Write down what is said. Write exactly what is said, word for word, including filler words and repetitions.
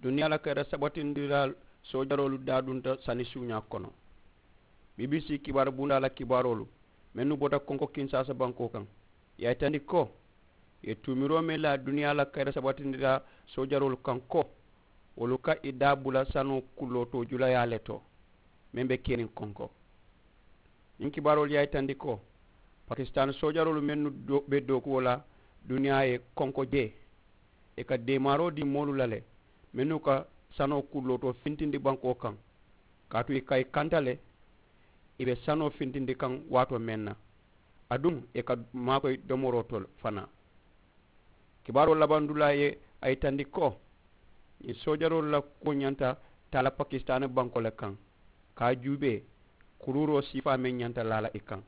Duniyaa la kayira sabatindilaa soojaroolu daadunta sani suuñaa kono. Bbc kibaaru bundaa la kibaaroolu mennu bota konko kinsaasa bankoo kaŋ, ì ye a yitandi ko ì ye tuumiroo meŋ laa duniyaa la kayira sabatindilaa soojaroolu kaŋ ko wolu ka ì daa bula sanoo kulloo to julayaa le to meŋ be keniŋ konko. Ñiŋ kibaaroolu ye a yitandi ko pakisitaani soojaroolu mennu be dookuwo la duniyaa ye konko jee, ì ka deemaaroo dii moolu la le mennu ka sanoo kulloo to fintindi bankoo kaŋ. Kaatu ì ka ì kanta le ì be sanoo fintindi kaŋ waatoo meŋ na, aduŋ ì ka maakoyi domoroo to fanaa. Kibaaroo labandulaa ye a yitandi ko ñiŋ soojaroolu la kuwo ñanta taa la pakisitaani bankoo le kaŋ, ka a juubee kuruuroo siifaa meŋ ñanta laa la ì kaŋ.